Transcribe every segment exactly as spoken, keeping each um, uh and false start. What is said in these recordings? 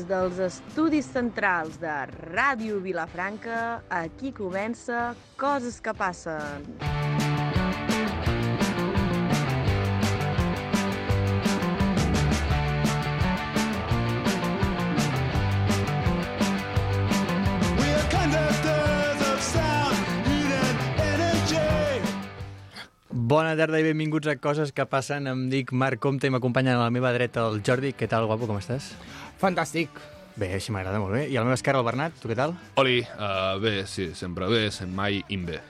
dels estudis centrals de Ràdio Vilafranca, aquí comença Coses que passen. Bona tarda i benvinguts a Coses que passen. Em dic Marc Comte i m'acompanya a la meva dreta el Jordi. Què tal, guapo, com estàs? Fantàstic. Bé, així m'agrada molt bé. I a la meva esquerra el Bernat, tu què tal? Oli, uh, bé, sí, sempre bé, sem mai imbe.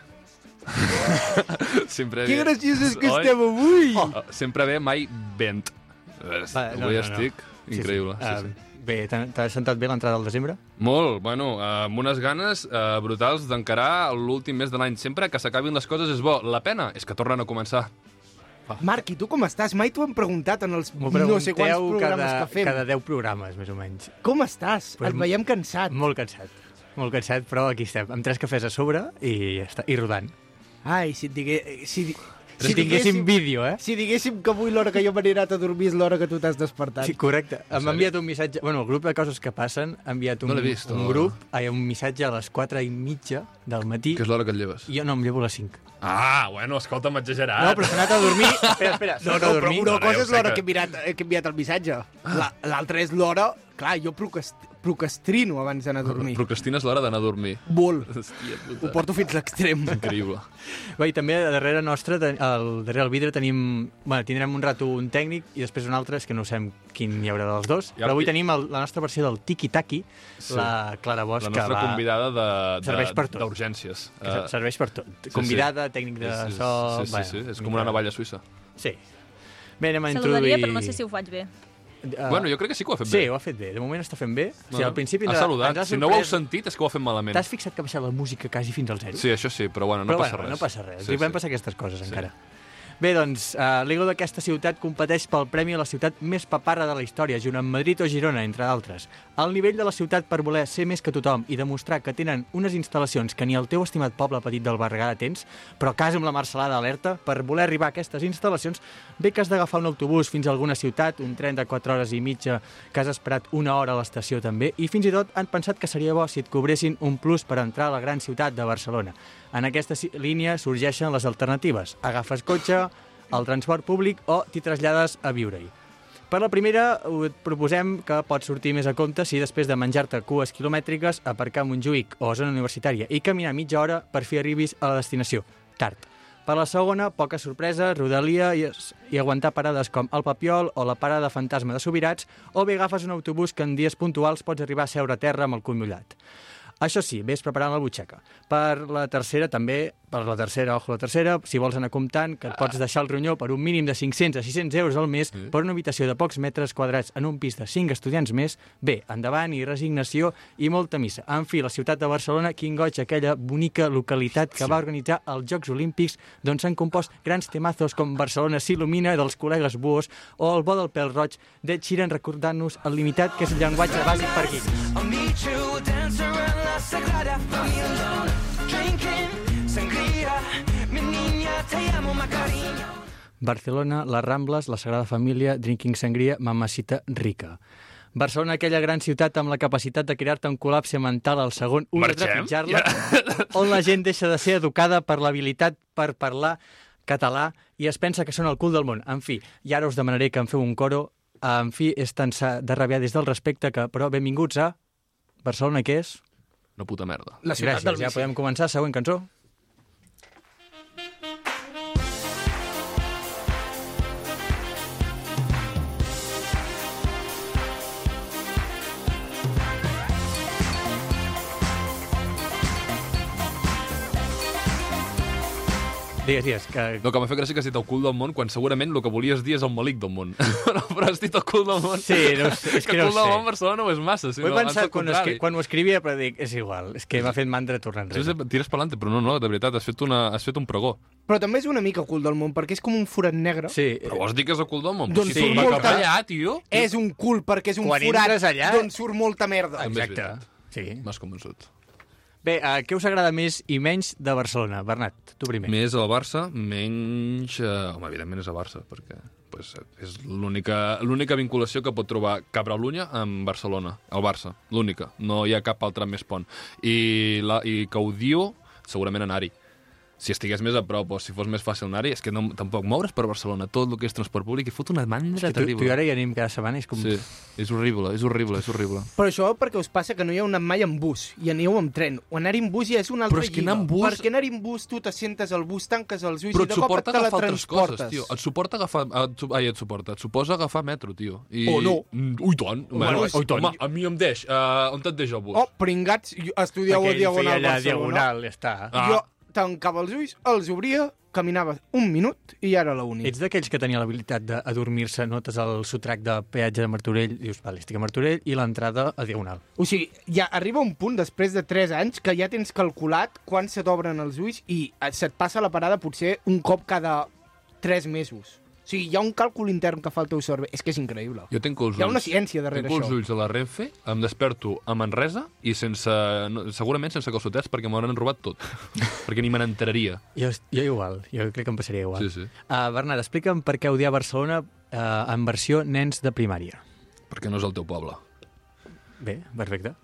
sempre Que bé. graciós és que Oi? estem avui! Uh, sempre bé, mai vent. Uh, Va, no, avui no, no. estic increïble. Sí, sí. Sí, sí. Uh, bé, t'ha t'ha sentat bé l'entrada del desembre? Molt, bueno, uh, amb unes ganes uh, brutals d'encarar l'últim mes de l'any. Sempre que s'acabin les coses és bo. La pena és que tornen a començar. Marc, i tu com estàs? Mai t'ho hem preguntat en els M'ho no sé quants pregunteu programes cada, que fem. cada deu programes, més o menys. Com estàs? Pues Et veiem cansat. Molt cansat. Molt cansat, però aquí estem, amb tres cafès a sobre i ja està, i rodant. Ai, si et digué... Si, Si tinguéssim vídeo, eh? Si diguéssim que avui l'hora que jo m'he anat a dormir és l'hora que tu t'has despertat. Sí, correcte. En M'ha enviat un missatge... Bueno, el grup de Coses que passen ha enviat un, No l'he vist, un no. grup, ai, un missatge a les quatre i mitja del matí. Que és l'hora que et lleves. I jo no, em llevo a les cinc. Ah, bueno, escolta'm, exagerat. No, però s'ha anat a dormir... Espera, espera, s'ha No, anat no, a però dormir. una No, no, cosa ja ho és sé l'hora que- que... he mirat, he enviat el missatge. La- L'altra és l'hora... Clar, jo procrast... procrastino abans d'anar a dormir. Procrastines l'hora d'anar a dormir. Molt. Hòstia Ho puta. porto fins a l'extrem. Increïble. Bé, i també darrere nostre, ten- al darrere del vidre tenim... Bueno, tindrem un rato un tècnic i després un altre, és que no sabem quin hi haurà dels dos, Ja- però avui tenim el, la nostra versió del tiki-taki, Sí. la Clara Bosch, La que nostra va... convidada de, Serveix per de, tot. d'urgències. que Eh, serveix per tot. sí. Convidada, tècnic de sí, sí, so... Sí, sí, sí, és com una navalla suïssa. Sí. Bé, anem a Saludaria, introduir... però no sé si ho faig bé. Uh, Bueno, jo crec que sí que ho ha fet Sí, bé. ho ha fet bé. De moment està fent bé. O sigui, Bueno, al principi... ha ens saludat. ens ha Si no ho heu sorprès. sentit és que ho ha fet malament. T'has fixat que ha baixat la música quasi fins al zero? Sí, això sí, però bueno, no però passa bueno, res. no passa res. Sí, Li van sí. passar aquestes coses, Sí. encara. Bé, doncs, uh, l'Ego d'aquesta ciutat competeix pel premi a la ciutat més paparra de la història, junt amb Madrid o Girona, entre d'altres. El nivell de la ciutat per voler ser més que tothom i demostrar que tenen unes instal·lacions que ni el teu estimat poble petit del Berguedà tens, però quasi amb la Marcelada alerta, per voler arribar a aquestes instal·lacions, bé que has d'agafar un autobús fins a alguna ciutat, un tren de quatre hores i mitja, que has esperat una hora a l'estació també, i fins i tot han pensat que seria bo si et cobressin un plus per entrar a la gran ciutat de Barcelona. En aquesta ci- línia sorgeixen les alternatives. Agafes cotxe, el transport públic o t'hi trasllades a viure-hi. Per la primera, et proposem que pots sortir més a compte si després de menjar-te cues quilomètriques, aparcar a Montjuïc o a zona universitària i caminar mitja hora per fi arribis a la destinació, tard. Per la segona, poca sorpresa, rodalia i, i aguantar parades com el Papiol o la parada fantasma de Subirats, o bé agafes un autobús que en dies puntuals pots arribar a seure a terra amb el cul mullat. Això sí, vés preparant la butxaca. Per la tercera, també, per la tercera, ojo la tercera, si vols anar comptant, que et pots deixar el ronyó per un mínim de cinc-cents a sis-cents euros al mes Sí. per una habitació de pocs metres quadrats en un pis de cinc estudiants més, bé, endavant i resignació i molta missa. En fi, la ciutat de Barcelona, quin goig, aquella bonica localitat que va organitzar els Jocs Olímpics, d'on s'han compost grans temazos com Barcelona s'il·lumina dels col·legues Buos o el bo del pèl roig d'Ed Sheeran recordant-nos el limitat que és el llenguatge bàsic per aquí. I'll meet you, dance around la Sagrada Familia, drinking sangria, mi niña, te llamo Macarena. Barcelona, les Rambles, la Sagrada Família, Drinking Sangria, Mamacita Rica. Barcelona, aquella gran ciutat amb la capacitat de crear-te un col·lapse mental al segon un de Marxem? trepitjar-la, on la gent deixa de ser educada per l'habilitat per parlar català i es pensa que són el cul del món. En fi, i ara us demanaré que em feu un coro. En fi, és tan sa de rabiar des del respecte que, però, benvinguts a Barcelona, què és? Una puta merda. La ciutat Gràcies, del ja bici. podem començar. Següent cançó. Digues, digues, que... No, que m'ha fet gràcia que has dit el cul del món, quan segurament el que volies dir és el malic del món. no, però has dit el cul del món. Sí, no ho sé, és que que no el ho cul del sé. món Barcelona no és massa, Ho sinó he abans pensat al quan, contrari. escri... quan ho escrivia, però dic, és igual, és que m'ha fet mandra tornar Sí, enrere. sí, tires pelante, però no, no, de veritat, has fet, una, has fet un pregó. Però també és una mica cul del món, perquè és com un forat negre. Sí, Però vols dir que és el cul del món? Doncs si sí, surt molt cap allà, allà, tio. És un cul perquè és un Quan forat entres allà- d'on surt molta merda. També és exacte. veritat. Sí. M'has convençut. Bé, uh, què us agrada més i menys de Barcelona? Bernat, tu primer. Més al Barça, menys... Eh, home, evidentment és a Barça, perquè pues és l'única l'única vinculació que pot trobar Cabralunya amb Barcelona, el Barça, l'única. No hi ha cap altre més pont. I, la, i que ho diu, segurament anar-hi. Si estigués més a prop o si fos més fàcil anar-hi, és que no, tampoc moure's per Barcelona, tot el que és transport públic, i fot una mandra Tu, terrible. tu i ara hi anem cada setmana, és com... Sí, és horrible, és horrible, és horrible. Però això perquè us passa que no hi heu anat mai amb bus, i aneu amb tren. O anar-hi amb bus ja és una altra Però és que lliga. anar amb bus- Perquè anar-hi amb bus tu t'assentes al bus, tanques els ulls Però i et de cop et suporta agafar altres coses, teletransportes. tio. Et suporta agafar... Et, su- ai, et suporta. Et suposa agafar metro, tio. I... O no. Mm, Ui, tant. Bueno, Bueno, ui, tant. home, a mi em deix. Uh, on et deixa el bus? Oh, pringats, jo- estudieu a Diagonal allà Barcelona. diagonal, ja està. Ah. Jo tancava els ulls, els obria, caminava un minut i ja era la uni. Ets d'aquells que tenia l'habilitat d'adormir-se, notes el sotrac de peatge de Martorell, dius, vale, estic a Martorell, i l'entrada a Diagonal. O sigui, ja arriba un punt, després de tres anys, que ja tens calculat quan se t'obren els ulls i se't passa la parada potser un cop cada tres mesos. O sigui, hi ha un càlcul intern que fa el teu cervell. És que és increïble. Jo tinc els ulls... Hi ha una ciència darrere Tinc els això. ulls a la Renfe, em desperto a Manresa i sense, no, segurament sense calçotets perquè m'hauran robat tot. perquè ni me n'enteraria. Jo, jo igual, jo crec que em passaria igual. Sí, sí. Uh, Bernat, explica'm per què odiar Barcelona uh, en versió nens de primària. Perquè no és el teu poble. Bé, perfecte.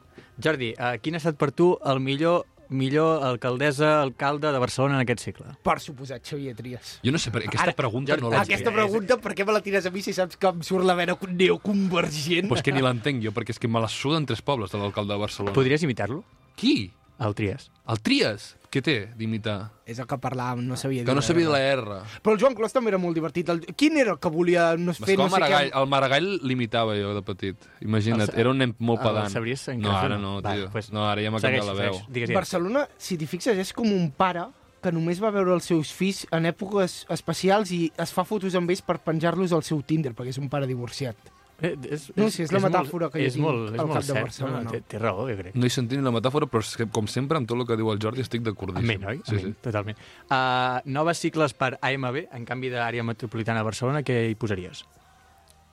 Jordi, uh, quin ha estat per tu el millor millor alcaldessa, alcalde de Barcelona en aquest segle? Per suposat, Xavier Trias. Jo no sé, per aquesta Ara, pregunta Jordi, no l'entenc. Aquesta pregunta, per què me la tires a mi si saps que em surt la vena neoconvergent? Pues que ni l'entenc jo, perquè és que me la suden tres pobles de l'alcalde de Barcelona. Podries imitar-lo? Qui? El Trias. El Trias? Què té d'imitar? És el que parlàvem, no sabia dir. Que no sabia la la R. R. Però el Joan Clos també era molt divertit. El... Quin era el que volia no fer M'escola no sé Maragall. què? El Maragall l'imitava jo de petit. Imagina't, El- era un nen molt el pedant. sabries en No, cas o ara no? no, Va, tio. pues, No, ara ja m'ha canviat la veu. Segueix, segueix. Digues, Barcelona, si t'hi fixes, és com un pare que només va veure els seus fills en èpoques especials i es fa fotos amb ells per penjar-los al seu Tinder, perquè és un pare divorciat. Eh, és, No, sí, és la metàfora molt, que jo és tinc molt, és al molt cap de cert. Barcelona. No, té, té raó, jo crec. No he sentit ni la metàfora, però és que, com sempre, amb tot el que diu el Jordi estic d'acordíssim. Amén, oi? Sí, Amén, sí. totalment. Uh, noves cicles per A M B, en canvi d'àrea metropolitana de Barcelona, què hi posaries?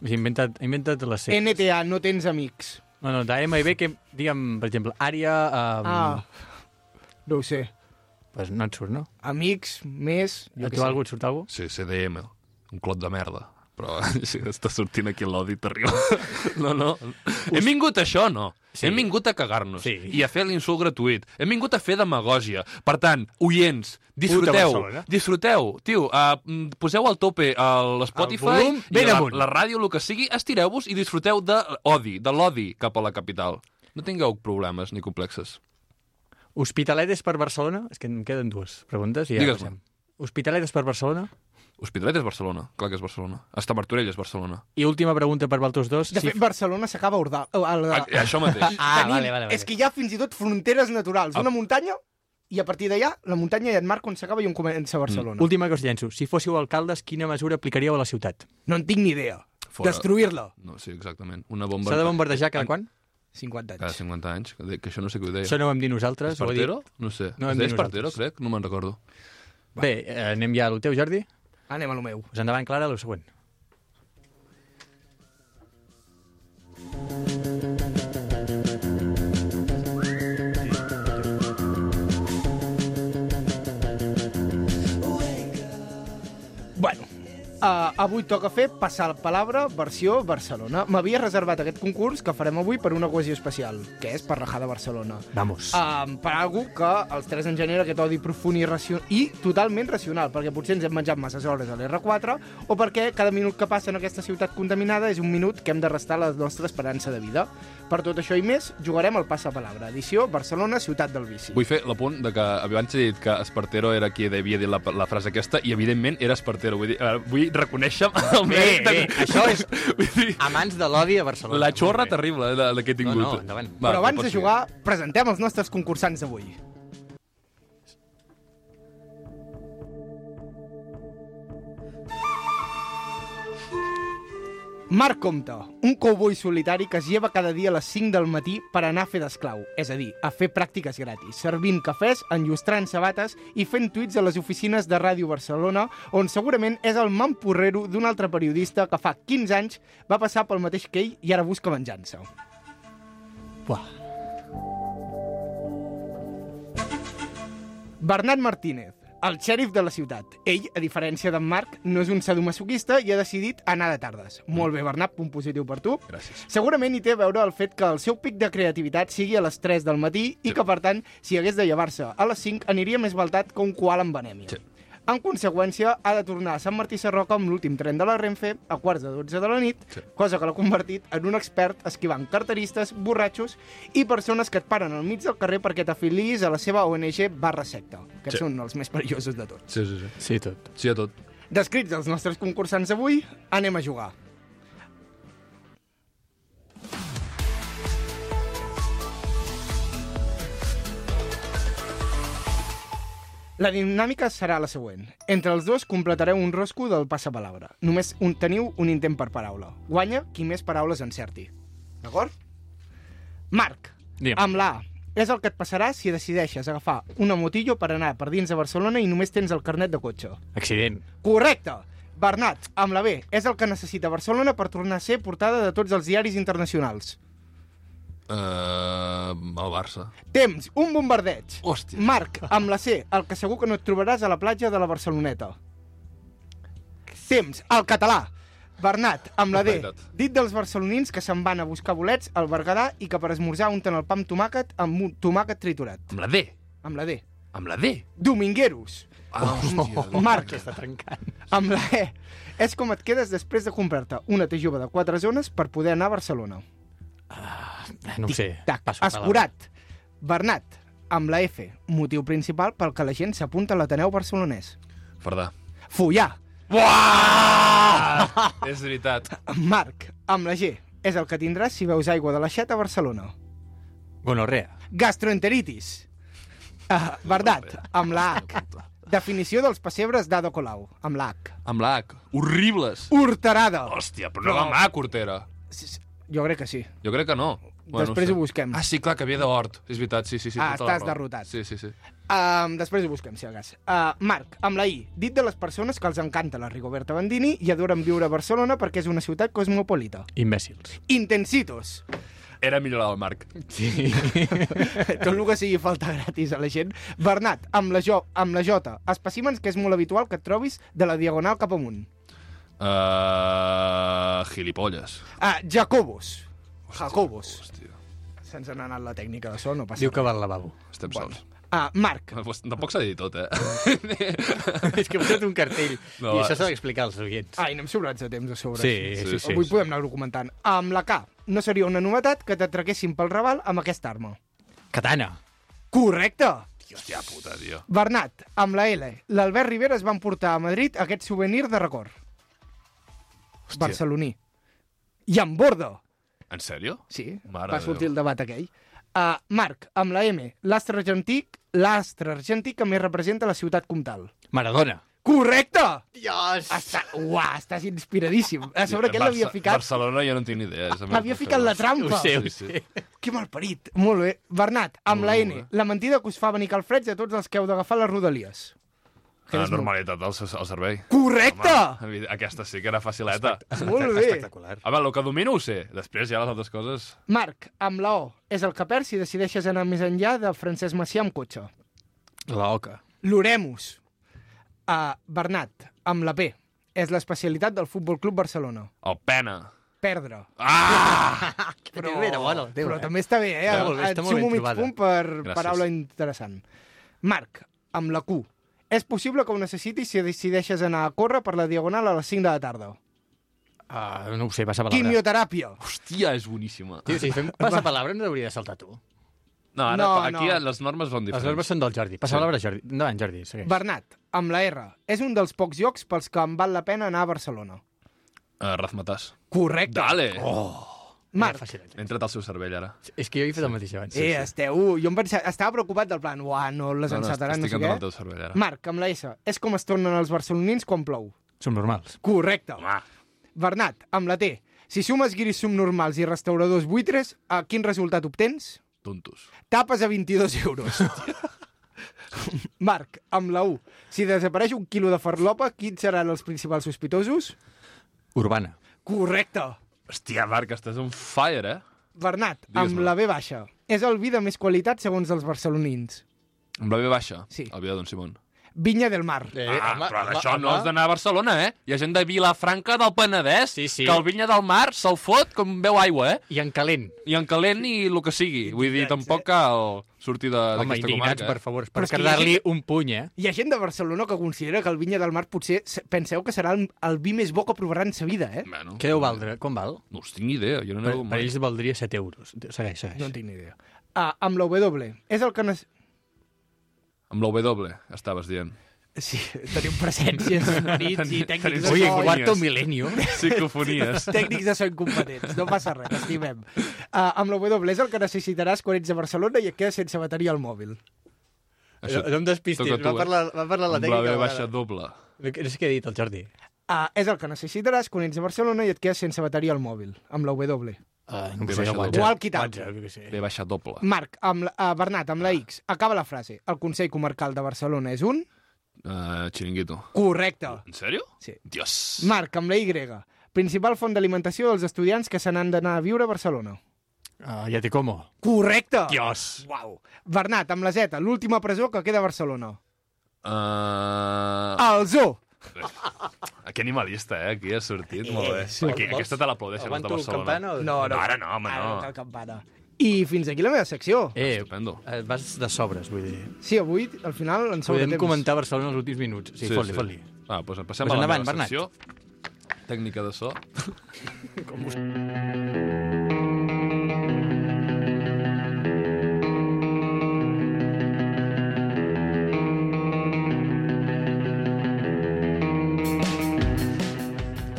Has inventat, inventat les sigles. N T A, no tens amics. No, no, d'A M B, que, digue'm, per exemple, àrea... Um, Ah, no ho sé. Pues no et surt, no? Amics, més... A Jo què tu sé. algú et surt algú? Sí, C D M, un clot de merda. Però sí, està sortint aquí l'odi terrible. No, no. Hem vingut a això, no. Sí. Hem vingut a cagar-nos Sí. i a fer l'insult gratuït. Hem vingut a fer demagògia. Per tant, oients, Puta disfruteu. Barcelona. Disfruteu. Tio, uh, poseu al tope a l'Spotify El volum i ben la, amunt. la ràdio, el que sigui, estireu-vos i disfruteu de l'odi, de l'odi cap a la capital. No tingueu problemes ni complexes. Hospitalet és per Barcelona? És que em queden dues preguntes i ja Digues-me. passem. Hospitalet és per Barcelona? Hospitalet és Barcelona, clar que és Barcelona. Hasta Martorell és Barcelona. I última pregunta per vosaltres dos. De fet, Barcelona s'acaba a Ordal. A, Ah, a, això mateix. Ah, tenim- vale, vale, vale. És que hi ha fins i tot fronteres naturals. Ah. Una muntanya, i a partir d'allà, la muntanya ja et marca on s'acaba i on comença Barcelona. Última que us llenço. Si fóssiu alcaldes, quina mesura aplicaríeu a la ciutat? No en tinc ni idea. Fora. Destruir-la. No, sí, exactament. Una bomba... S'ha de bombardejar cada quan? cinquanta Cada anys. cinquanta anys, que, que això no sé qui ho deia. Això no ho vam dir nosaltres. ho ha dit- Espartero? No sé. No No hem es deia dit Espartero, nosaltres. crec? No me'n recordo. Bé, eh, anem ja al teu, Jordi. Anem a lo meu. Pues endavant, Clara, el següent. Bueno, uh, avui toca fer Passar la Palabra versió Barcelona. M'havia reservat aquest concurs que farem avui per una ocasió especial, que és per rajar de Barcelona. Vamos. Um, per algú que els tres en genera aquest odi profund i, racio... i totalment racional, perquè potser ens hem menjat masses hores a l'R quatre o perquè cada minut que passa en aquesta ciutat contaminada és un minut que hem de restar la nostra esperança de vida. Per tot això i més, jugarem al Passapalabra, edició Barcelona, ciutat del vici. Vull fer l'apunt de que abans he dit que Espartero era qui havia dit la, la frase aquesta i evidentment era Espartero. Vull, dir, uh, vull reconèixer el Bé, mèrit de... bé, això és Vull dir, amants de l'odi a Barcelona. la xorra Molt bé. terrible eh, de, de que he tingut. No, no, endavant. Però Va, abans pots de jugar, presentem els nostres concursants d'avui. Marc Comte, un cowboy solitari que es lleva cada dia a les cinc del matí per anar a fer d'esclau, és a dir, a fer pràctiques gratis, servint cafès, enllustrant sabates i fent tuits a les oficines de Ràdio Barcelona, on segurament és el mamporrero d'un altre periodista que fa quinze anys va passar pel mateix que ell i ara busca venjança. Buah. Bernat Martínez, el xèrif de la ciutat. Ell, a diferència d'en Marc, no és un sadomasoquista i ha decidit anar de tardes. Molt bé, Bernat, punt positiu per tu. Gràcies. Segurament hi té a veure el fet que el seu pic de creativitat sigui a les tres del matí i que, per tant, si hagués de llevar-se a les cinc, aniria més baltat que un koala amb anèmia. Sí. En conseqüència, ha de tornar a Sant Martí Sarroca amb l'últim tren de la Renfe a quarts de dotze de la nit, Sí. cosa que l'ha convertit en un expert esquivant carteristes, borratxos i persones que et paren al mig del carrer perquè t'afiliïs a la seva O N G barra secta, que Sí. són els més perillosos de tots. Sí, sí, sí. Sí, tot. Sí a tot. Descrits els nostres concursants d'avui, anem a jugar. La dinàmica serà la següent. Entre els dos completareu un rosco del passapalabra. Només un, teniu un intent per paraula. Guanya qui més paraules encerti. D'acord? Marc, Digue'm. amb la A, és el que et passarà si decideixes agafar una motillo per anar per dins de Barcelona i només tens el carnet de cotxe. Accident. Correcte! Bernat, amb la B, és el que necessita Barcelona per tornar a ser portada de tots els diaris internacionals. Uh, el Barça. Temps, un bombardeig. Hòstia. Marc, amb la C, el que segur que no et trobaràs a la platja de la Barceloneta. Temps, el català. Bernat, amb la D, Veritat. dit dels barcelonins que se'n van a buscar bolets al Berguedà i que per esmorzar unten el pa amb tomàquet amb un tomàquet triturat. Amb la D. Amb la D. Amb la D. Domingueros. Ah, hòstia. Marc, Està trencant. amb la E, és com et quedes després de comprar-te una T jove de quatre zones per poder anar a Barcelona. No ho sé. Tac, Passo palabra. escurat. Bernat, amb la F, motiu principal pel que la gent s'apunta a l'Ateneu barcelonès. Fardà. Follar. Uah! És veritat. Marc, amb la G, és el que tindràs si veus aigua de l'aixeta a Barcelona. Gonorrea. Gastroenteritis. Uh, Bernat, amb la H, definició dels pessebres d'Ado Colau, amb la H. Amb la H. Horribles. Horterada. Hòstia, però no amb la H, Cortera. S- s- Jo crec que sí. Jo crec que no. Després no ho busquem. Ah, sí, clar, que ve d'Hort. És veritat, sí, sí, sí. Ah, tota la estàs raó. derrotat. Sí, sí, sí. Um, després ho busquem, si de cas. Uh, Marc, amb la I, dit de les persones que els encanta la Rigoberta Bandini i adoren viure a Barcelona perquè és una ciutat cosmopolita. Imbècils. Intensitos. Era millorar el Marc. Sí. Tot el que sigui falta gratis a la gent. Bernat, amb la, jo, amb la J, espècimens que és molt habitual que et trobis de la diagonal cap amunt. Uh, gilipolles. Ah, Jacobos. Jacobos. Hòstia, Se'ns n'ha anat la tècnica de so, no passa Diu que res. va al lavabo. estem Bueno. sols. Ah, Marc, Tampoc s'ha de dir tot, eh? És que he posat un cartell. No, I va. això s'ha d'explicar als oients. ai, anem sobrats de temps a sobre. Sí, sí, sí. Avui podem anar-ho comentant. Amb la K, no seria una novetat que t'atraquessin pel Raval amb aquesta arma. Katana. Correcte! Hòstia puta, tio. Bernat, amb la L, l'Albert Rivera es van portar a Madrid aquest souvenir de record. Hòstia. Barceloní. I amb borda. En sèrio? Sí, Mare va de sortir Déu. el debat aquell. Uh, Marc, amb la M, l'astre argentí, l'astre argentí que més representa la ciutat comtal. Maradona. Correcte! Dios! Està, uah, estàs inspiradíssim. A sobre aquest l'havia Barça- ficat... Barcelona jo no en tinc ni idea. és Havia ficat la trampa. Ho sé, ho Sí, sí. sé. Que malparit. Molt bé. Bernat, amb Molt la bé. N, la mentida que us fa venir calfreds a tots els que heu d'agafar les rodalies. Que La és molt- normalitat del, al servei. Correcte! Home, aquesta sí que era facileta. Molt bé. Espectacular. Home, el que domino ho sé. Després ja les altres coses... Marc, amb la O, és el que perds si decideixes anar més enllà de Francesc Macià amb cotxe. La oca. L'Oremus. Uh, Bernat, amb la P, és l'especialitat del Futbol Club Barcelona. El pena. Perdre. Ah! Però, Era bona, el teu, però eh? també està bé, eh? Està molt bé, Et està molt ben sumo mig trobada. punt per Gràcies. paraula interessant. Marc, amb la Q, és possible que ho necessitis si decideixes anar a córrer per la diagonal a les cinc de la tarda. Uh, no ho sé, passa palabra. Quimioteràpia. Hòstia, és boníssima. Tio, si fem passa palabra no hauria de saltar tu. No, ara, No, aquí no. les normes són Les diferents. normes són del Jordi. Passa Sí. palabra, Jordi. Endavant, Jordi, segueix. Bernat, amb la R, és un dels pocs llocs pels que em val la pena anar a Barcelona. Uh, Razmatàs. Correcte. Dale! Oh, Marc, era fàcil. He entrat al seu cervell, ara. És que jo he fet el mateix abans. eh, esteu... Jo em pensava, estava preocupat del plan, uah, no les No, no, encetaran, no, estic sé entrant al què. teu cervell, ara. Marc, amb la S, és com es tornen els barcelonins quan plou. Som normals. Correcte. Home, Bernat, amb la T, si sumes guiris subnormals i restauradors buitres, a quin resultat obtens? tontos. Tapes a vint-i-dos euros. Marc, amb la U, si desapareix un quilo de farlopa, quins seran els principals sospitosos? Urbana. Correcte. Hòstia, Marc, estàs on fire, eh? Bernat, Digues-me. amb la B baixa, és el vi de més qualitat segons els barcelonins. Amb la B baixa? Sí. El vi de Don Simón. Vinya del Mar. Eh, Ah, home, però home, això no home. has d'anar a Barcelona, eh? Hi ha gent de Vilafranca del Penedès Sí, sí. que el Vinya del Mar se'l fot com veu aigua, eh? I en calent. I en calent i el que sigui. Vull dir, tampoc cal sortir de- Home, d'aquesta indignats, comarca. per Eh? favor, Però per és que hi ha cardar-li gent- un puny, eh? Hi ha gent de Barcelona que considera que el Vinya del Mar potser se- penseu que serà el, el vi més bo que provaran en sa vida, eh? Bueno, Què deu valdre? Com val? No us tinc ni idea, jo no Per, n'he per ells valdria set euros. Segueix, segueix. No en tinc ni idea. Ah, amb la W. És el que... Ne... Amb la W, estaves dient. Sí, tenim presències sonits i tècnics tenim- de Oye, so. en cuarto milenio. Psicofonies. Tècnics de so incompetents, no passa res, estimem. Uh, amb la W és el que necessitaràs quan ets a Barcelona i et quedes sense bateria al mòbil. Això No em despistis, toca tu, va eh? parlar, va parlar la Amb tècnica. la a B la baixa vegada. doble. No sé què ha dit el Jordi. Uh, és el que necessitaràs quan ets a Barcelona i et quedes sense bateria al mòbil, amb la W. Uh, no Bé ho sé, baixa WhatsApp. doble. Walkie-talkie. WhatsApp, jo què sé. B baixa doble. Marc, amb la, uh, Bernat, amb la X, acaba la frase. El Consell Comarcal de Barcelona és un... Uh, Chiringuito. Correcte. En sèrio? Sí. Dios. Marc, amb la Y. Principal font d'alimentació dels estudiants que se n'han d'anar a viure a Barcelona. Uh, ja té com. Correcte. Dios. Uau. Bernat, amb la Z, l'última presó que queda a Barcelona. Uh... El Zoo. Que animalista, eh? Aquí ha sortit. Molt bé. sí. Aquí, Vols- aquesta te l'aplaudeixen els de Aguanto Barcelona. campana o- No, no. No, ara no, home, Ara no. no cal campana. I fins aquí la meva secció. Eh, Estupendo. eh, vas de sobres, vull dir. Sí, avui, al final, en sobra Podem temps. comentar Barcelona els últims minuts. Sí, sí fot-li, fot-li. Ah, doncs passem Pues a la endavant, meva Bernat. secció. Tècnica de so.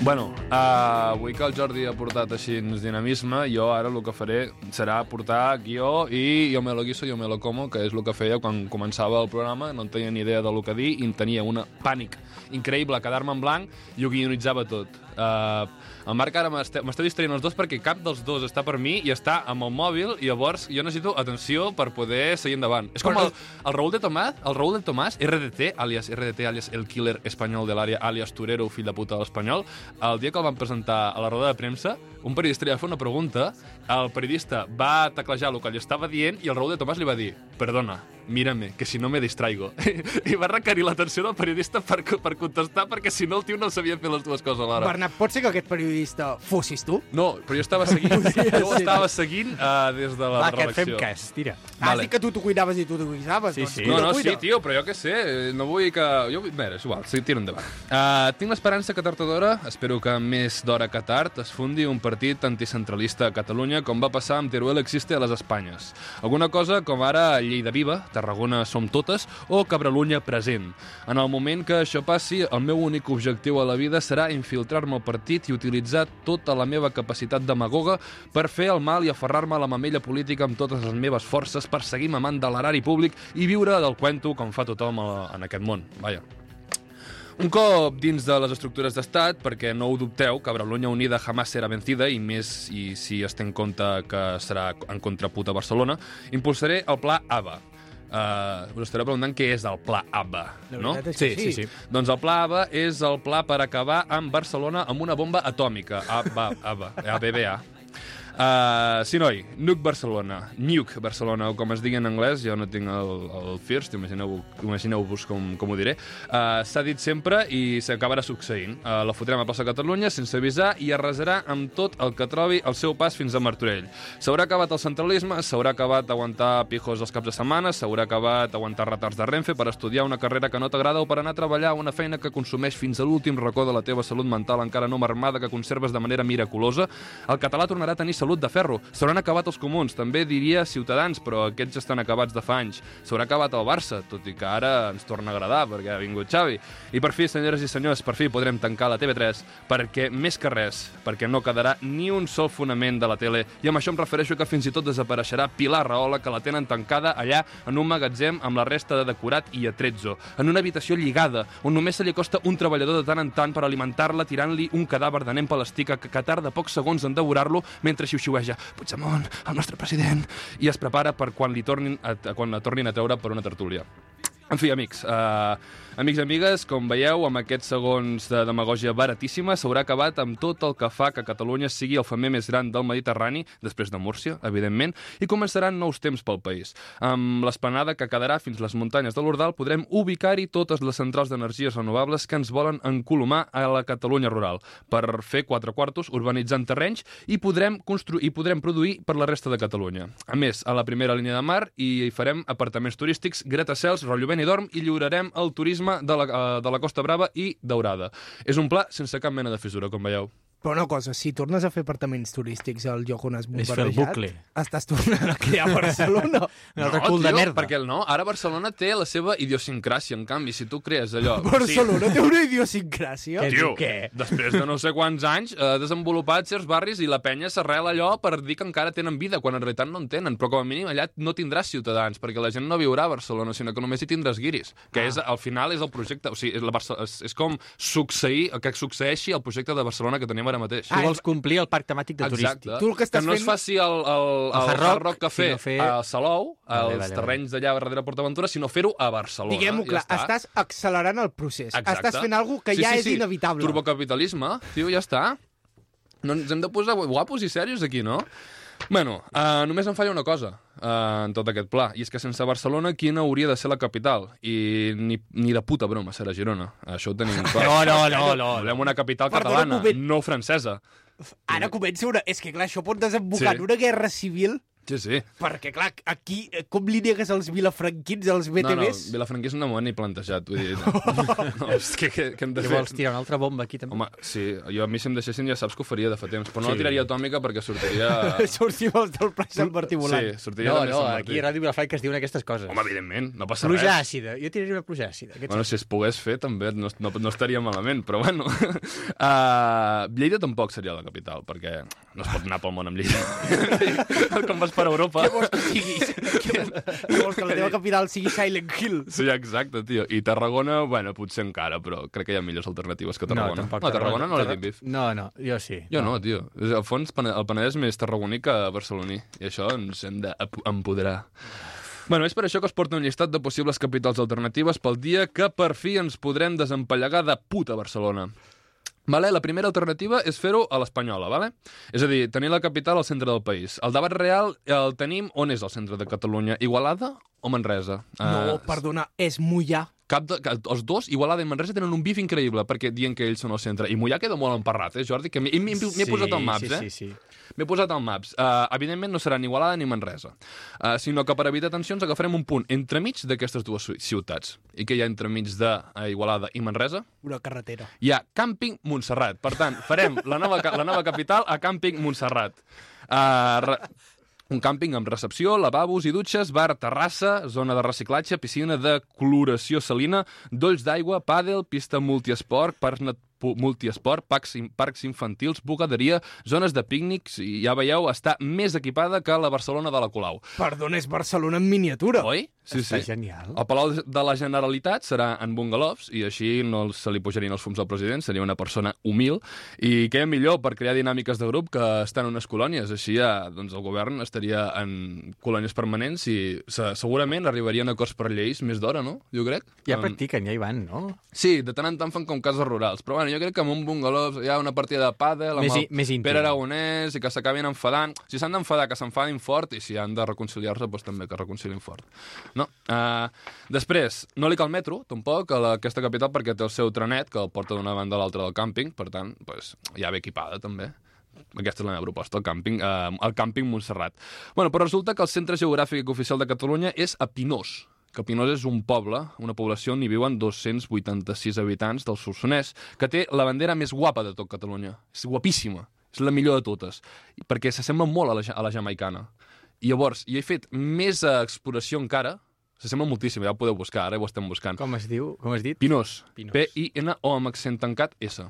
Bueno, uh, avui que el Jordi ha portat així dinamisme, jo ara el que faré serà portar guió i jo me lo guiso, jo me lo como, que és el que feia quan començava el programa, no en tenia ni idea del que dir i en tenia un pànic increïble a quedar-me en blanc i ho guionitzava tot. Uh, el Marc ara m'esteu distraient els dos perquè cap dels dos està per mi i està amb el mòbil i llavors jo necessito atenció per poder seguir endavant. És com el, el Raúl de Tomàs, el Raúl de Tomàs, R D T, alias R D T, alias el killer espanyol de l'àrea, alias Torero, fill de puta de l'espanyol. El dia que el van presentar a la roda de premsa, un periodista li va fer una pregunta, el periodista va teclejar el que li estava dient i el Raúl de Tomàs li va dir «Perdona, mírame, que si no me distraigo». I va requerir l'atenció del periodista per, per contestar perquè si no el tio no sabia fer les dues coses alhora. Bernat, pot ser que aquest periodista fossis tu? No, però jo estava seguint, jo ho estava seguint uh, des de la Va, que et redacció. fem cas, tira. Has Vale. dit que tu t'ho cuidaves i tu t'ho cuidaves. Sí, doncs sí. No, cuida, no, cuida. sí, tio, però jo què sé, no vull que... Jo, vull... Bé, és igual, sí, tira endavant. Uh, tinc l'esperança que tard o d'hora, espero que més d'hora que tard, es fundi un partit anticentralista a Catalunya, com va passar amb Teruel Existe a les Espanyes. Alguna cosa com ara Lleida Viva, Tarragona Som Totes o Cabralunya Present. En el moment que això passi, el meu únic objectiu a la vida serà infiltrar-me al partit i utilitzar tota la meva capacitat demagoga per fer el mal i aferrar-me a la mamella política amb totes les meves forces per seguir mamant de l'erari públic i viure del cuento com fa tothom a- en aquest món. Vaja. Un cop dins de les estructures d'estat, perquè no ho dubteu, Cabralunya Unida jamás serà vencida, i més i si es té en compte que serà en contraput a Barcelona, impulsaré el pla A B A. Uh, us estareu preguntant què és el pla A B A, La no? veritat és Sí, que sí, sí. Doncs el pla A B A és el pla per acabar amb Barcelona amb una bomba atòmica. A B A, A B A, A B B A. Uh, sí, noi, Nuke Barcelona, Nuke Barcelona, o com es digui en anglès, jo no tinc el, el first, imagineu-vos imagineu com, com ho diré. Uh, S'ha dit sempre i s'acabarà succeint. Uh, la fotrem a plaça Catalunya sense avisar i arrasarà amb tot el que trobi al seu pas fins a Martorell. S'haurà acabat el centralisme, s'haurà acabat aguantar pijos els caps de setmana, s'haurà acabat aguantar retards de Renfe per estudiar una carrera que no t'agrada o per anar a treballar una feina que consumeix fins a l'últim racó de la teva salut mental encara no marmada que conserves de manera miraculosa. El català tornarà a tenir salut de ferro. S'hauran acabat els comuns, també diria Ciutadans, però aquests ja estan acabats de fa anys. S'haurà acabat el Barça, tot i que ara ens torna a agradar perquè ha vingut Xavi. I per fi, senyores i senyors, per fi podrem tancar la T V tres perquè, més que res, perquè no quedarà ni un sol fonament de la tele. I amb això em refereixo que fins i tot desapareixerà Pilar Rahola, que la tenen tancada allà en un magatzem amb la resta de decorat i atrezzo, en una habitació lligada, on només se li acosta un treballador de tant en tant per alimentar-la tirant-li un cadàver de nen palestica que, que tarda pocs segons en devorar-lo mentre xiu-xiueja Puigdemont, el nostre president, i es prepara per quan li tornin a, quan la tornin a treure per una tertúlia. En fi, amics, uh, amics i amigues, com veieu, amb aquests segons de demagògia baratíssima s'haurà acabat amb tot el que fa que Catalunya sigui el femer més gran del Mediterrani, després de Múrcia, evidentment, i començaran nous temps pel país. Amb l'esplanada que quedarà fins les muntanyes de l'Ordal podrem ubicar-hi totes les centrals d'energies renovables que ens volen encolomar a la Catalunya rural, per fer quatre quartos urbanitzant terrenys i podrem construir i podrem produir per la resta de Catalunya. A més, a la primera línia de mar hi farem apartaments turístics, gratacels, rotllo Benidorm i lliurarem el turisme de la, de la Costa Brava i Daurada. És un pla sense cap mena de fissura, com veieu. Però una cosa, si tornes a fer apartaments turístics al lloc on has És fer el bombardejat, bucle. estàs tornant a crear Barcelona. Un altre cul de merda. perquè no, ara Barcelona té la seva idiosincràsia, en canvi, si tu crees allò... Barcelona té una idiosincràsia. Què? Tio, Què? després de no sé quants anys, ha desenvolupat certs barris i la penya s'arrela allò per dir que encara tenen vida, quan en realitat no en tenen, però com a mínim allà no tindràs ciutadans, perquè la gent no viurà a Barcelona, sinó que només hi tindràs guiris, que ah. és, al final és el projecte, o sigui, és, la Barce és, és com succeir, que succeeixi el projecte de Barcelona que tenim ara mateix. Tu vols complir el parc temàtic de Exacte. turístic. Tu el que estàs que no es fent- faci el, el, el, El Hard Hard Rock, Rock Café sinó fer- a Salou, Vale, als vale, terrenys d'allà darrere PortAventura, sinó fer-ho a Barcelona. Diguem-ho clar, ja està. estàs accelerant el procés. Exacte. Estàs fent alguna que sí, ja sí, és sí. inevitable. Turbocapitalisme, tio, ja està. No ens hem de posar guapos i serios aquí, no? Bueno, uh, només em falla una cosa uh, en tot aquest pla, i és que sense Barcelona, quina hauria de ser la capital? I ni, ni de puta broma serà Girona. Això ho tenim clar. No, no, no, no. Volem una capital Perdona un catalana, moment. no francesa. Ara comença una... És que, clar, això pot desembocar Sí. en una guerra civil, Sí, sí. perquè, clar, aquí, eh, com li negues als vilafranquins, als B T No, no, Vs? Vilafranquisme no m'ho han ni plantejat. Vull dir, no, no, és que, que, que hem de Què fer... vols tirar una altra bomba aquí, també? Home, sí, jo a mi si em deixessin ja saps que ho faria de fa temps, però no Sí. la tiraria atòmica perquè sortiria... Sortim els del Pla Sant Martí volant. Sí, sortiria No, també no, Sant Martí. aquí a Ràdio Vilafranca es diuen aquestes coses. Home, evidentment, no passa Pluja res. àcida. Jo tiraria una pluja àcida. Què et Bueno, si es pogués fer, també no, no, no estaria malament, però bueno. Uh, Lleida tampoc seria la capital, perquè no es pot anar pel món amb Lleida. Com vas per Europa. Què vols que siguis? Què què vols que la teva capital sigui Silent Hill? Sí, exacte, tio. I Tarragona, bueno, potser encara, però crec que hi ha millors alternatives que Tarragona. tampoc. no Tarragona no la tinc vist. No, no, jo sí. Jo no, tio. Al fons, Pene- el Penedès és més tarragoní que barceloní. I això ens hem d'empoderar. Bueno, és per això que us porto un llistat de possibles capitals alternatives pel dia que per fi ens podrem desempallegar de puta Barcelona. Vale? La primera alternativa és fer-ho a l'espanyola, vale? És a dir, tenir la capital al centre del país. El debat real el tenim on és el centre de Catalunya, Igualada o Manresa? No, Eh, perdona, és Mollà. Cap de, que els dos, Igualada i Manresa, tenen un bif increïble perquè diuen que ells són al centre. I Mollà queda molt emparrat, eh, Jordi? Que m'he m'he- m'he posat al maps, sí, eh? Sí, sí, M'he posat al maps. Uh, evidentment no serà ni Igualada ni Manresa, uh, sinó que per evitar tensions agafarem un punt entremig d'aquestes dues ci- ciutats. I què hi ha entremig de uh, Igualada i Manresa? Una carretera. Hi ha Càmping Montserrat. Per tant, farem la nova, ca- la nova capital a Càmping Montserrat. Uh, re... Un càmping amb recepció, lavabos i dutxes, bar, terrassa, zona de reciclatge, piscina de coloració salina, dolls d'aigua, pàdel, pista multiesport, parcs nat pu- multiesport, parcs, in- parcs infantils, bugaderia, zones de pícnics, i ja veieu, està més equipada que la Barcelona de la Colau. Perdona, és Barcelona en miniatura. Oi? Sí, Està sí. genial. El Palau de la Generalitat serà en bungalows i així no se li pujarien els fums al president, seria una persona humil i què millor per crear dinàmiques de grup que estar en unes colònies. Així ja, doncs, el govern estaria en colònies permanents i se segurament arribarien a acords per lleis més d'hora, no? Jo crec. Ja Um, practiquen, ja hi van, no? Sí, de tant en tant fan com cases rurals, però bueno, jo crec que en un bungalow hi ha una partida de pàdel amb Més i- el més íntim. Pere Aragonès i que s'acabin enfadant. Si s'han d'enfadar, que s'enfadin fort, i si han de reconciliar-se, doncs també que reconcilin fort. No? Uh, després, no li cal metro, tampoc, a la, aquesta capital, perquè té el seu trenet, que el porta d'una banda a l'altra del càmping, per tant, doncs, ja ve equipada, també. Aquesta és la meva proposta, el càmping, eh, el càmping Montserrat. Bueno, però resulta que el centre geogràfic oficial de Catalunya és a Pinós, que Pinós és un poble, una població on hi viuen dos-cents vuitanta-sis habitants del Solsonès, que té la bandera més guapa de tot Catalunya. És guapíssima, és la millor de totes, perquè s'assembla molt a la, ja- a la jamaicana. I llavors, hi he fet més eh, exploració encara, s'assembla moltíssim, ja ho podeu buscar, ara ho estem buscant. Com es diu? Com has dit? Pinós, Pinós. P I N O amb accent tancat S.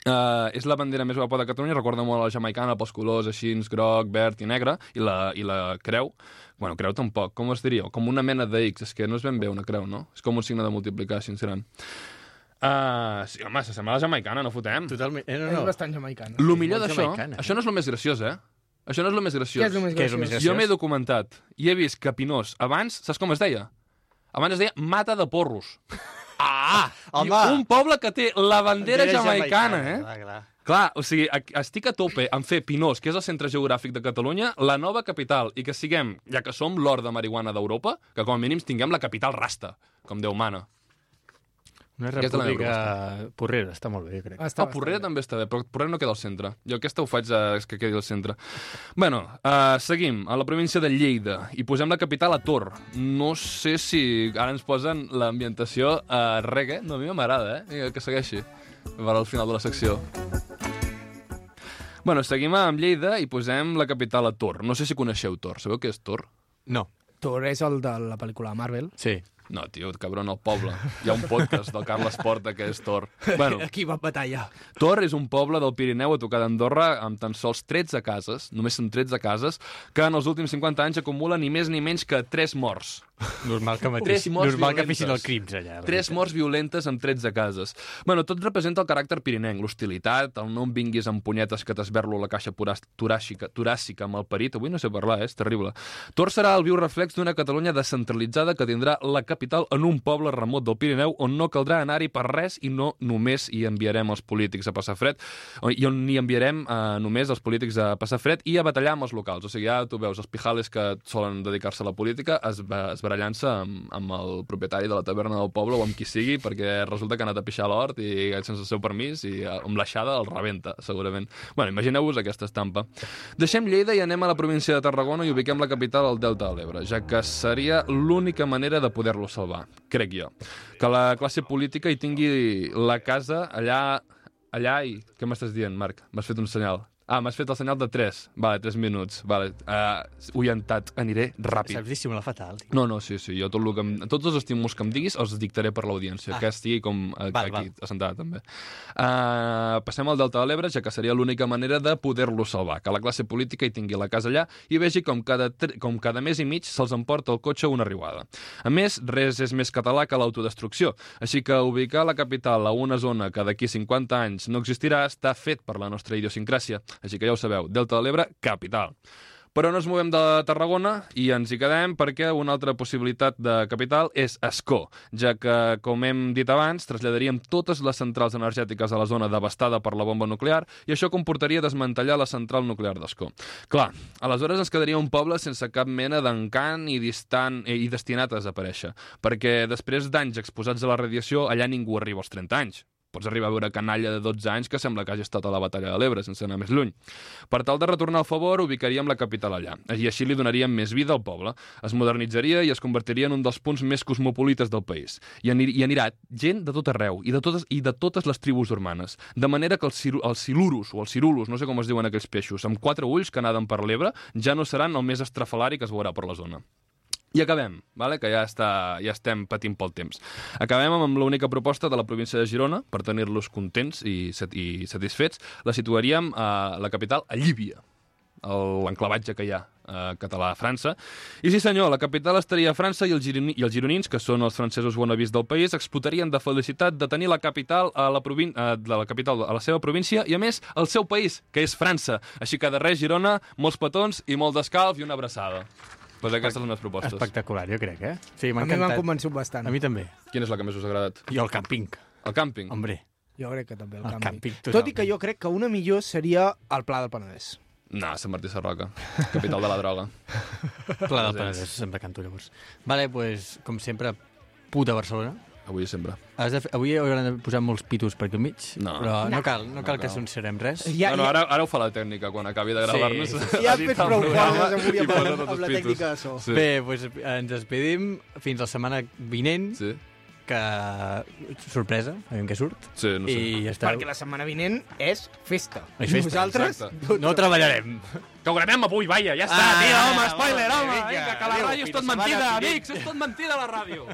Uh, és la bandera més guapa de Catalunya, recorda molt a la jamaicana pels colors així, groc, verd i negre, i la, i la creu, bueno, creu tampoc, com es diria? Com una mena de X, és que no és ben bé una creu, no? És com un signe de multiplicar, així gran. Uh, sí, home, s'assembla a la jamaicana, no fotem. Totalment. Eh, no, És no. bastant jamaicana. Lo millor molt d'això, jamaicana, eh? això no és el més graciós, eh? Això no és el més graciós. Què és el més Què és el graciós? més graciós? Jo m'he documentat i he vist que Pinós, abans, saps com es deia? Abans es deia Mata de Porros. Ah! Home! I un poble que té la bandera Bandera jamaicana, eh? Clar, clar. Clar, o sigui, estic a tope en fer Pinós, que és el centre geogràfic de Catalunya, la nova capital, i que siguem, ja que som l'hort de marihuana d'Europa, que com a mínim tinguem la capital rasta, com Déu mana. Una Aquesta és la meva república porrera, està molt bé, crec. Està Ah, Porrera també està bé, però Porrera no queda al centre. Jo aquesta ho faig a, és que quedi al centre. Bueno, uh, seguim, a la província de Lleida, i posem la capital a Tor. No sé si ara ens posen l'ambientació a uh, reggae. No, a mi m'agrada, eh? Que segueixi. Per al final de la secció. Bueno, seguim amb Lleida i posem la capital a Tor. No sé si coneixeu Tor. Sabeu què és Tor? No. Thor és el de la pel·lícula Marvel. Sí. No, tio, cabron, al poble. Hi ha un podcast del Carles Porta que és Tor. Bueno, Aquí va batallar. Tor és un poble del Pirineu a tocar d'Andorra amb tan sols tretze cases, només són tretze cases, que en els últims cinquanta anys acumulen ni més ni menys que tres morts. Normal que, mateix, Tres morts normal que violentes. fessin el crims allà. Tres morts violentes en tretze cases. Bueno, tot representa el caràcter pirinenc, l'hostilitat, el no em vinguis amb punyetes que t'esberlo la caixa toràcica, toràcica amb el perit. Avui no sé parlar, eh? És terrible. Tor serà el viu reflex d'una Catalunya descentralitzada que tindrà la capital en un poble remot del Pirineu on no caldrà anar-hi per res i no només hi enviarem els polítics a passar fred, i on hi enviarem eh, només els polítics a passar fred i a batallar amb els locals. O sigui, ja tu veus els pijales que solen dedicar-se a la política es, es barallant-se amb, amb el propietari de la taverna del poble o amb qui sigui, perquè resulta que ha anat a pixar a l'hort i sense el seu permís i amb l'aixada el rebenta, segurament. Bueno, imagineu-vos aquesta estampa. Deixem Lleida i anem a la província de Tarragona i ubiquem la capital al Delta de l'Ebre, ja que seria l'única manera de poder-lo salvar, crec jo. Que la classe política hi tingui la casa allà... Allà i... Què m'estàs dient, Marc? M'has fet un senyal. Ah, m'has fet el senyal de tres. Vale, tres minuts. Vale, uh, orientat. Aniré ràpid. Saps dissimular fatal. No, no, sí, sí. Jo tot lo que em, tots els estímuls que em diguis els dictaré per l'audiència, ah. que estigui com uh, val, aquí, val. assentada, també. Uh, passem al Delta de l'Ebre, ja que seria l'única manera de poder-lo salvar, que la classe política hi tingui la casa allà i vegi com cada, com cada mes i mig se'ls emporta el cotxe una riuada. A més, res és més català que l'autodestrucció, així que ubicar la capital a una zona que d'aquí cinquanta anys no existirà està fet per la nostra idiosincràsia. Així que ja ho sabeu, Delta de l'Ebre, capital. Però no ens movem de Tarragona i ens hi quedem perquè una altra possibilitat de capital és Ascó, ja que, com hem dit abans, traslladaríem totes les centrals energètiques a la zona devastada per la bomba nuclear i això comportaria desmantellar la central nuclear d'Ascó. Clar, aleshores ens quedaria un poble sense cap mena d'encant i, distant, i destinat a desaparèixer, perquè després d'anys exposats a la radiació, allà ningú arriba als trenta anys. Pots arribar a veure canalla de dotze anys que sembla que hagi estat a la batalla de l'Ebre, sense anar més lluny. Per tal de retornar al favor, ubicaríem la capital allà, i així li donaríem més vida al poble. Es modernitzaria i es convertiria en un dels punts més cosmopolites del país. I, anir i anirà gent de tot arreu, i de totes, i de totes les tribus urbanes. De manera que els, els silurus, o els cirulos, no sé com es diuen aquells peixos, amb quatre ulls que naden per l'Ebre, ja no seran el més estrafalari que es veurà per la zona. I acabem, vale? Que ja, està, ja estem patint pel temps. Acabem amb l'única proposta de la província de Girona, per tenir-los contents i, i satisfets. La situaríem a la capital, a Llívia, l'enclavatge que hi ha a català a França. I sí senyor, la capital estaria a França i els, gironi, i els gironins, que són els francesos wannabes del país, explotarien de felicitat de tenir la capital a la, provin de la capital a la seva província i, a més, al seu país, que és França. Així que de res, Girona, molts petons i molt d'escalf i una abraçada. Pues aquestes són les meves propostes. Espectacular, jo crec, eh? Sí, m'ha A mi m'han encantat. convençut bastant. A mi també. Quina és la que més us ha agradat? I el càmping. El càmping? Hombre. Jo crec que també, el, El càmping. càmping, Tot i totalment. que jo crec que una millor seria el Pla del Penedès. No, Sant Martí Sarroca, capital de la droga. Pla del Penedès, sempre canto llavors. Vale, pues, com sempre, puta Barcelona. Avui i sempre. Has de fer... Avui hauran de posar molts pitos per aquí al mig, No. però no, No. cal, no cal No que cal. censurem res. Ja, no, no, ja, ara, ara ho fa la tècnica, quan acabi de gravar-nos. Sí, sí, ja has fet prou coses avui i amb, posa amb, tots amb la els tècnica de pitos. so. Sí. Bé, doncs ens despedim fins la setmana vinent, Sí, que sorpresa, aviam què surt. sí, no sé. I ja està. Perquè la setmana vinent és festa. És festa, Nosaltres exacte. No treballarem. Que ho gravem avui, vaia, ja està, Ah, tio, home, home, spoiler, home, vinga, vinga, que la adéu, ràdio és fins tot la setmana mentida, vinent. amics, és tot mentida, la ràdio.